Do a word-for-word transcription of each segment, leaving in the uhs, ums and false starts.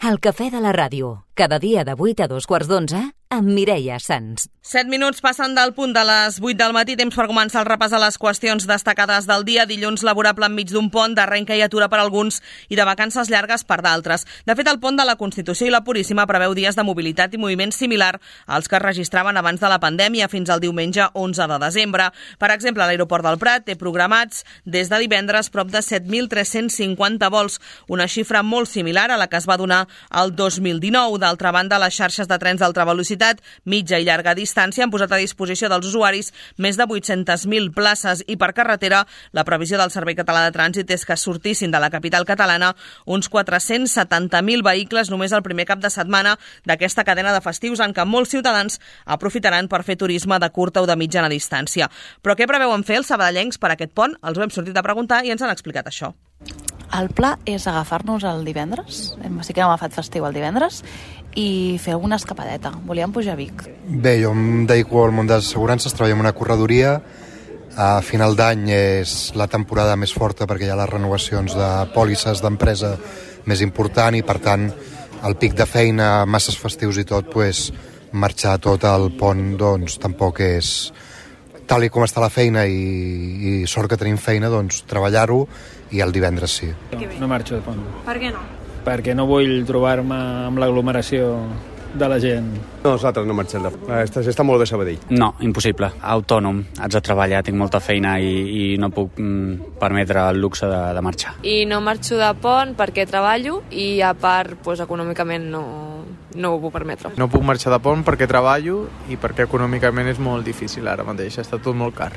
El cafè de la ràdio, cada dia de vuit a dos quarts d'onze, amb Mireia Sans. Set minuts passen del punt de les vuit del matí, temps per començar el repàs a les qüestions destacades del dia. Dilluns laborable enmig d'un pont, d'arrenca i atura per alguns i de vacances llargues per d'altres. De fet, el pont de la Constitució i la Puríssima preveu dies de mobilitat i moviment similar als que es registraven abans de la pandèmia fins al diumenge onze de desembre. Per exemple, l'aeroport del Prat té programats des de divendres prop de set mil tres-cents cinquanta vols, una xifra molt similar a la que es va donar el dos mil dinou. D'altra banda, les xarxes de trens d'alta velocitat, mitja i llarga distància han posat a disposició dels usuaris més de vuit-centes mil places i per carretera la previsió del Servei Català de Trànsit és que sortissin de la capital catalana uns quatre-cents setanta mil vehicles només el primer cap de setmana d'aquesta cadena de festius en què molts ciutadans aprofitaran per fer turisme de curta o de mitjana distància. Però què preveuen fer els sabadellencs per aquest pont? Els ho hem sortit a preguntar i ens han explicat això. El pla és agafar-nos el divendres, sí que hem agafat festiu el divendres, i fer alguna escapadeta. Volíem pujar a Vic. Bé, jo em dedico al món de les assegurances, treballo en una corredoria. A final d'any és la temporada més forta perquè hi ha les renovacions de pòlisses d'empresa més important i, per tant, el pic de feina, masses festius i tot, pues, marxar tot al pont doncs, tampoc és... Tal i com està la feina i, i sort que tenim feina, doncs treballar-ho i el divendres sí. No, no marxo de pont. Per què no? Perquè no vull trobar-me amb l'aglomeració de la gent. Nosaltres no marxem de pont. Està, està molt bé Sabadell. No, impossible. Autònom, haig de treballar, tinc molta feina i, i no puc mm, permetre el luxe de, de marxar. I no marxo de pont perquè treballo i a part, doncs, econòmicament no, no ho puc permetre. No puc marxar de pont perquè treballo i perquè econòmicament és molt difícil ara mateix, està tot molt car.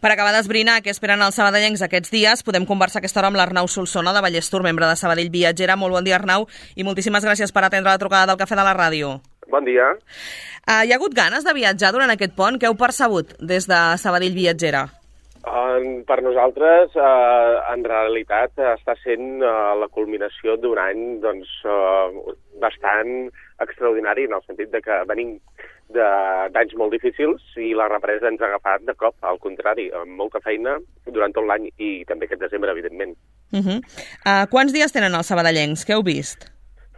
Per acabar d'esbrinar què esperen els sabadellencs aquests dies, podem conversar aquesta hora amb l'Arnau Solsona, de Vallestur, membre de Sabadell Viatgera. Molt bon dia, Arnau, i moltíssimes gràcies per atendre la trucada del Cafè de la Ràdio. Bon dia. Uh, hi ha hagut ganes de viatjar durant aquest pont? Què heu percebut des de Sabadell Viatgera? Uh, per nosaltres, uh, en realitat, està sent uh, la culminació d'un any doncs, uh, bastant extraordinari, en el sentit de que venim d'anys molt difícils i la represa ens ha agafat de cop, al contrari, amb molta feina durant tot l'any i també aquest desembre, evidentment. Uh -huh. uh, quants dies tenen els sabadellencs? Què heu vist?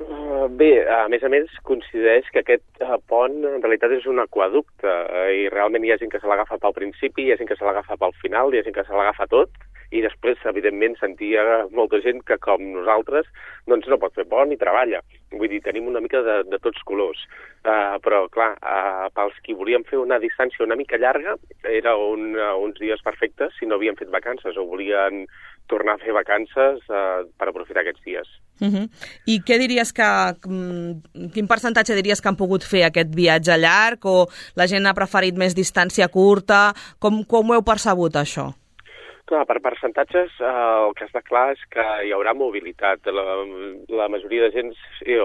Uh, bé, a més a més, coincideix que aquest uh, pont en realitat és un aquaducte uh, i realment hi ha gent que se l'agafa pel principi, hi ha gent que se l'agafa pel final, hi ha gent que se l'agafa tot i després, evidentment, sentia molta gent que, com nosaltres, doncs no pot fer pont i treballa. Vull dir, tenim una mica de, de tots colors. Uh, però, clar, uh, pels qui volíem fer una distància una mica llarga, era un, uh, uns dies perfectes si no havien fet vacances o volien tornar a fer vacances uh, per aprofitar aquests dies. Uh -huh. I què diries que... Quin percentatge diries que han pogut fer aquest viatge llarg o la gent ha preferit més distància curta? Com, com ho heu percebut, això? Clar, per percentatges, eh, el que està clar és que hi haurà mobilitat. La, la majoria de gent,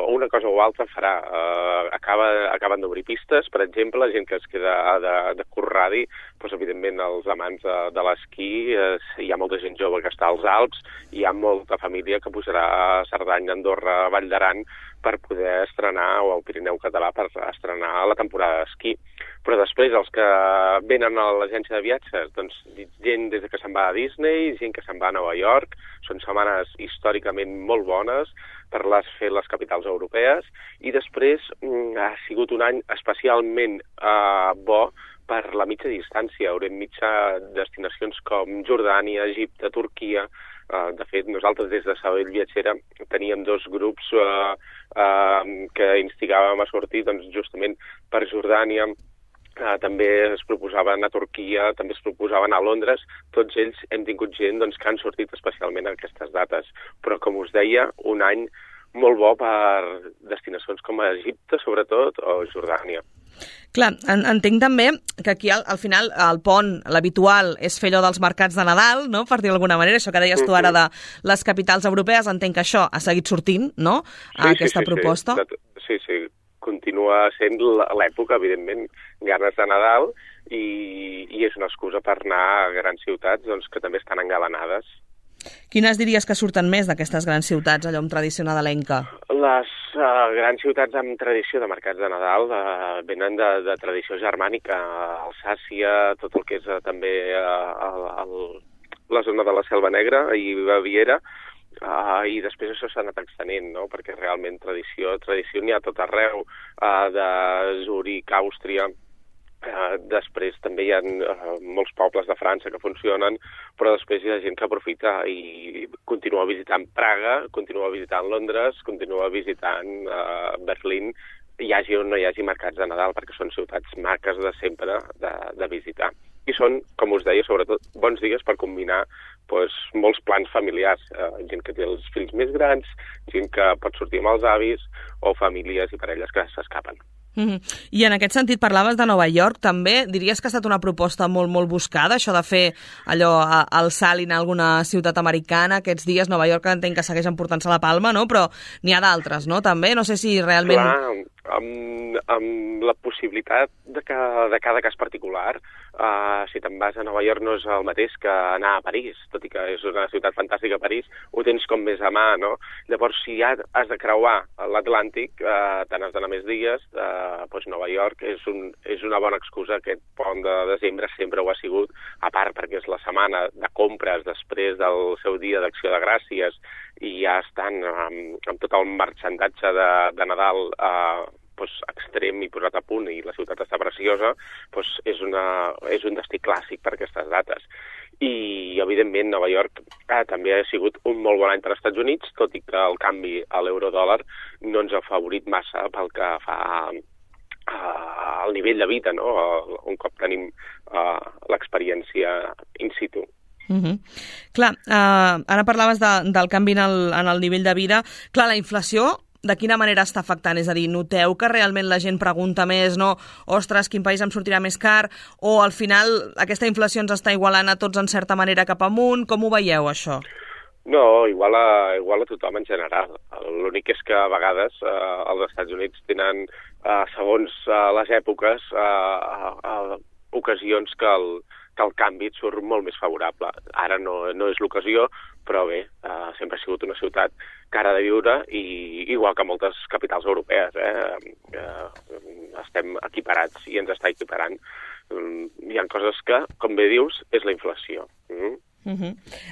una cosa o altra farà. Eh, acaba, acaben d'obrir pistes, per exemple, gent que es queda de, de curt radi, doncs, evidentment, els amants de, de l'esquí, eh, hi ha molta gent jove que està als Alps, hi ha molta família que pujarà a Cerdanya, Andorra, Vall d'Aran, per poder estrenar, o al Pirineu català, per estrenar la temporada d'esquí. Però després, els que venen a l'agència de viatges, doncs gent des que se'n va a Disney, gent que se'n va a Nova York, són setmanes històricament molt bones per les, fer les capitals europees, i després mm, ha sigut un any especialment eh, bo per la mitja distància. Haurem mitja destinacions com Jordània, Egipte, Turquia. Uh, de fet, nosaltres des de Sabadell Viatgera teníem dos grups uh, uh, que instigàvem a sortir doncs, justament per Jordània. Uh, també es proposaven a Turquia, també es proposaven a Londres. Tots ells hem tingut gent doncs, que han sortit especialment a aquestes dates. Però, com us deia, un any molt bo per destinacions com a Egipte, sobretot, o Jordània. Clar, en, entenc també que aquí al, al final el pont, l'habitual, és fer allò dels mercats de Nadal, no?, per dir d'alguna manera, això que deies tu ara de les capitals europees, entenc que això ha seguit sortint, no?, a sí, aquesta sí, sí, proposta. Sí, sí, continua sent l'època, evidentment, ganes de Nadal, i, i és una excusa per anar a grans ciutats doncs, que també estan engalanades. Quines diries que surten més d'aquestes grans ciutats, allò amb tradició nadalenca? Les uh, grans ciutats amb tradició de mercats de Nadal uh, venen de, de tradició germànica, Alsàcia, tot el que és uh, també uh, el, el, la zona de la Selva Negra i Baviera. uh, i després això s'ha anat extenent, no? Perquè realment tradició, tradició n'hi ha tot arreu, uh, de Zurich, Àustria, uh, després també hi ha uh, molts pobles de França que funcionen, però després hi ha gent que aprofita i continua visitant Praga, continua visitant Londres, continua visitant uh, Berlín, hi hagi o no hi hagi mercats de Nadal, perquè són ciutats maques de sempre de, de visitar. I són, com us deia, sobretot bons dies per combinar doncs, molts plans familiars. Eh, gent que té els fills més grans, gent que pot sortir amb els avis, o famílies i parelles que s'escapen. Mm-hmm. I en aquest sentit parlaves de Nova York també. Diries que ha estat una proposta molt, molt buscada, això de fer allò al salt i anar a alguna ciutat americana aquests dies. Nova York entenc que segueix emportant-se la palma, no? Però n'hi ha d'altres, no? També, no sé si realment... Clar, amb, amb la possibilitat de, que, de cada cas particular, uh, si te'n vas a Nova York no és el mateix que anar a París, tot i que és una ciutat fantàstica a París, ho tens com més a mà, no? Llavors, si ja has de creuar l'Atlàntic, uh, te n'has d'anar més dies, uh, doncs Nova York és, un, és una bona excusa. Aquest pont de desembre sempre ho ha sigut, a part perquè és la setmana de compres després del seu dia d'Acció de Gràcies i ja estan amb, amb tot el marxandatge de, de Nadal eh, doncs, extrem i posat a punt i la ciutat està preciosa, doncs és, una, és un destí clàssic per aquestes dates. I, evidentment, Nova York eh, també ha sigut un molt bon any per als Estats Units, tot i que el canvi a l'euro-dòlar no ens ha favorit massa pel que fa uh, al nivell de vida, no? Un cop tenim uh, l'experiència in situ. Mm-hmm. Clar, uh, ara parlaves de, del canvi en el, en el nivell de vida. Clar, la inflació, de quina manera està afectant? És a dir, noteu que realment la gent pregunta més, no? Ostres, quin país em sortirà més car? O al final aquesta inflació ens està igualant a tots en certa manera cap amunt? Com ho veieu, això? No, igual a, igual a tothom en general. L'únic és que a vegades eh, els Estats Units tenen, eh, segons eh, les èpoques, eh, eh, ocasions que el, que el canvi et surt molt més favorable. Ara no, no és l'ocasió, però bé, eh, sempre ha sigut una ciutat cara de viure i igual que moltes capitals europees, eh, eh, estem equiparats i ens està equiparant. Hi ha coses que, com bé dius, és la inflació. Mm? Uh-huh.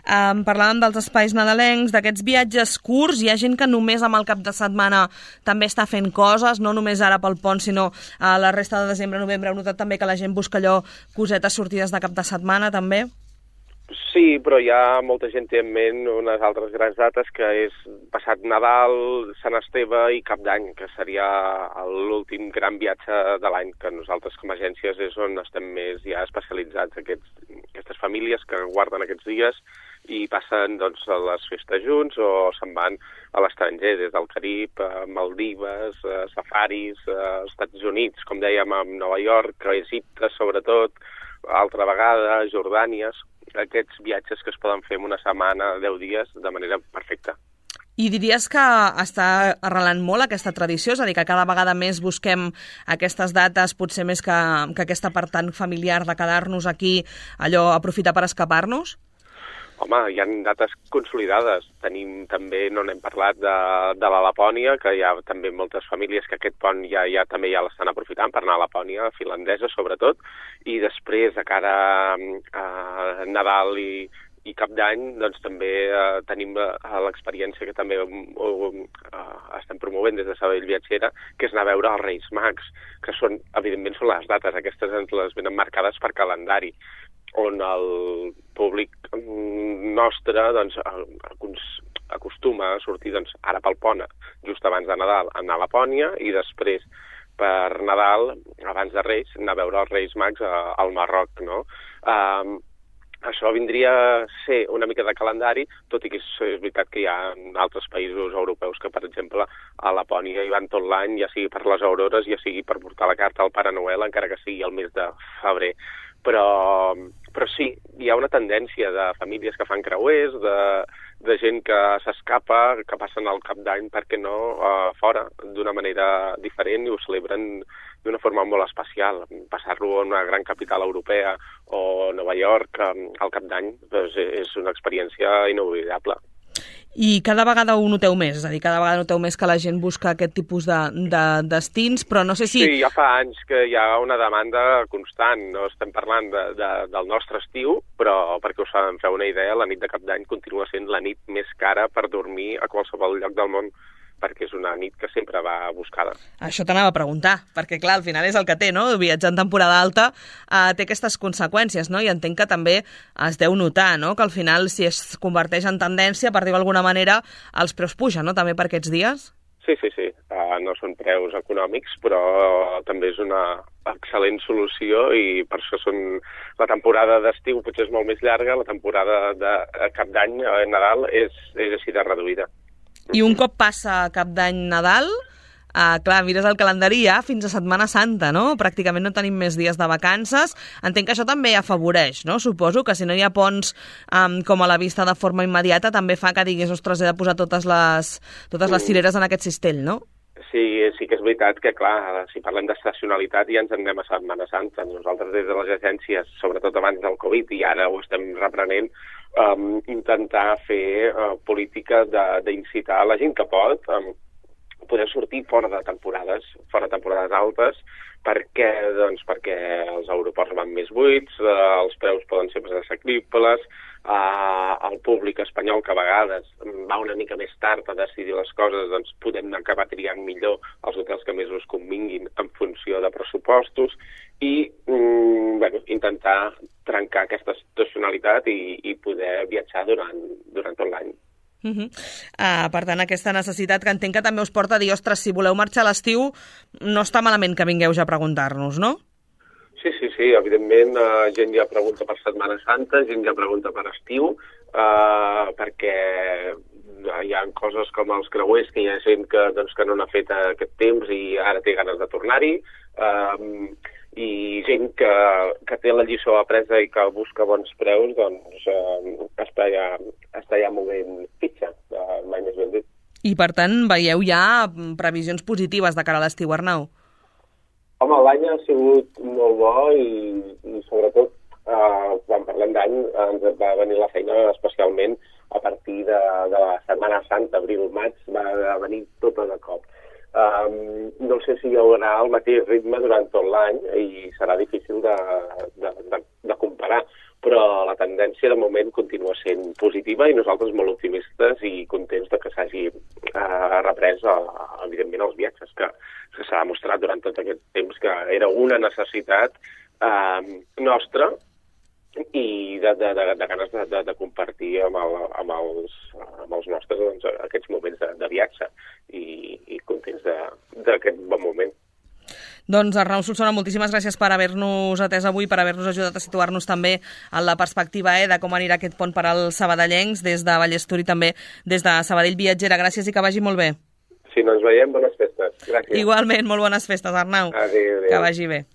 Um, parlàvem dels espais nadalencs, d'aquests viatges curts. Hi ha gent que només amb el cap de setmana també està fent coses, no només ara pel pont, sinó a la resta de desembre, novembre. Heu notat també que la gent busca allò, cosetes sortides de cap de setmana, també? Sí, però hi ha molta gent té en ment unes altres grans dates, que és passat Nadal, Sant Esteve i Cap d'Any, que seria l'últim gran viatge de l'any, que nosaltres com a agències és on estem més ja especialitzats, aquests, aquestes famílies que guarden aquests dies i passen doncs, a les festes junts o se'n van a l'estranger, des del Carib, a Maldives, a safaris, als Estats Units, com dèiem, a Nova York, a Egipte sobretot, altra vegada, a Jordània, aquests viatges que es poden fer en una setmana, deu dies, de manera perfecta. I diries que està arrelant molt aquesta tradició? És a dir, que cada vegada més busquem aquestes dates, potser més que, que aquesta part tan familiar de quedar-nos aquí, allò, aprofitar per escapar-nos? Home, hi ha dates consolidades. Tenim també, no n'hem parlat, de, de la Lapònia, que hi ha també moltes famílies que aquest pont ja, ja també ja l'estan aprofitant per anar a Lapònia, finlandesa sobretot, i després de cara a Nadal i, i Cap d'Any, doncs també eh, tenim eh, l'experiència que també eh, estem promovent des de Sabadell Viatgera, que és anar a veure els Reis Mags, que són, evidentment, són les dates, aquestes ens les venen marcades per calendari, on el públic nostre doncs, acostuma a sortir doncs, ara pel pont, just abans de Nadal, anar a Lapònia i després per Nadal, abans de Reis, anar a veure els Reis Mags al Marroc, no? Um, Això vindria a ser una mica de calendari, tot i que és, és veritat que hi ha altres països europeus que, per exemple, a Lapònia hi van tot l'any, ja sigui per les aurores, ja sigui per portar la carta al Pare Noel, encara que sigui el mes de febrer. Però, però sí, hi ha una tendència de famílies que fan creuers, de, de gent que s'escapa, que passen el Cap d'Any, per què no, uh, fora, d'una manera diferent i ho celebren d'una forma molt especial. Passar-lo en una gran capital europea o Nova York um, al Cap d'Any doncs és una experiència inoblidable. I cada vegada ho noteu més, és a dir, cada vegada noteu més que la gent busca aquest tipus de, de destins, però no sé si... Sí, ja fa anys que hi ha una demanda constant, no estem parlant de, de, del nostre estiu, però perquè us en feu una idea, la nit de Cap d'Any continua sent la nit més cara per dormir a qualsevol lloc del món, perquè és una nit que sempre va buscada. Això t'anava a preguntar, perquè clar, al final és el que té, no? Viatjar en temporada alta eh, té aquestes conseqüències, no? I entenc que també es deu notar, no? Que al final, si es converteix en tendència, per dir-ho d'alguna manera, els preus pugen, no? També per aquests dies? Sí, sí, sí. Uh, no són preus econòmics, però també és una excel·lent solució i per això són... La temporada d'estiu potser és molt més llarga, la temporada de Cap d'Any, eh, Nadal, és, és així de reduïda. I un cop passa Cap d'Any, Nadal, eh, clar, mires el calendari ja fins a Setmana Santa, no? Pràcticament no tenim més dies de vacances. Entenc que això també afavoreix, no? Suposo que si no hi ha ponts um, com a la vista de forma immediata també fa que diguis, ostres, he de posar totes les, totes les cireres en aquest cistell, no? Sí, sí que és veritat que, clar, si parlem d'estacionalitat ja ens en anem a Setmana Santa. Nosaltres des de les agències, sobretot abans del Covid, i ara ho estem reprenent, um, intentar fer uh, política d'incitar la gent que pot um, poder sortir fora de temporades, fora de temporades altes, perquè, doncs, perquè els aeroports van més buits, uh, els preus poden ser més assequibles, uh, el públic espanyol que a vegades va una mica més tard a decidir les coses, doncs podem acabar triant millor els hotels que més us convinguin en funció de pressupostos i mm, bueno, intentar trencar aquesta estacionalitat i, i poder viatjar durant, durant tot l'any. Uh -huh. uh, per tant, aquesta necessitat que entenc que també us porta a dir, ostres, si voleu marxar a l'estiu, no està malament que vingueu ja a preguntar-nos, no? Sí, sí, sí, evidentment, uh, gent ja pregunta per Setmana Santa, gent ja pregunta per estiu, uh, perquè hi ha coses com els creuers, que hi ha gent que, doncs, que no n'ha fet aquest temps i ara té ganes de tornar-hi, uh, i gent que, que té la lliçó apresa i que busca bons preus, doncs uh, està, ja, està ja movent fitxa, uh, mai més ben dit. I per tant veieu ja previsions positives de cara a l'estiu, Arnau? Home, l'any ha sigut molt bo i, i sobretot, eh, quan parlem d'any, ens va venir la feina especialment a partir de, de la Setmana Santa, abril-maig, va venir tota de cop. Um, no sé si hi haurà el mateix ritme durant tot l'any i serà difícil de, de, de, de comparar, però la tendència de moment continua sent positiva i nosaltres molt optimistes i contents de que s'hagi eh, reprès, uh, evidentment, els viatges, que, que s'ha demostrat durant tot aquest temps que era una necessitat eh, nostra i de, de, de, de ganes de, de, de compartir amb, el, amb, els, amb els nostres doncs, aquests moments de, de viatge i, i contents d'aquest bon moment. Doncs Arnau Solsona, moltíssimes gràcies per haver-nos atès avui, per haver-nos ajudat a situar-nos també en la perspectiva eh, de com anirà aquest pont per als sabadellencs des de Vallestur i també des de Sabadell Viatgera. Gràcies i que vagi molt bé. Si no ens veiem, bones festes. Gràcies. Igualment, molt bones festes, Arnau. Adéu, adéu. Que vagi bé.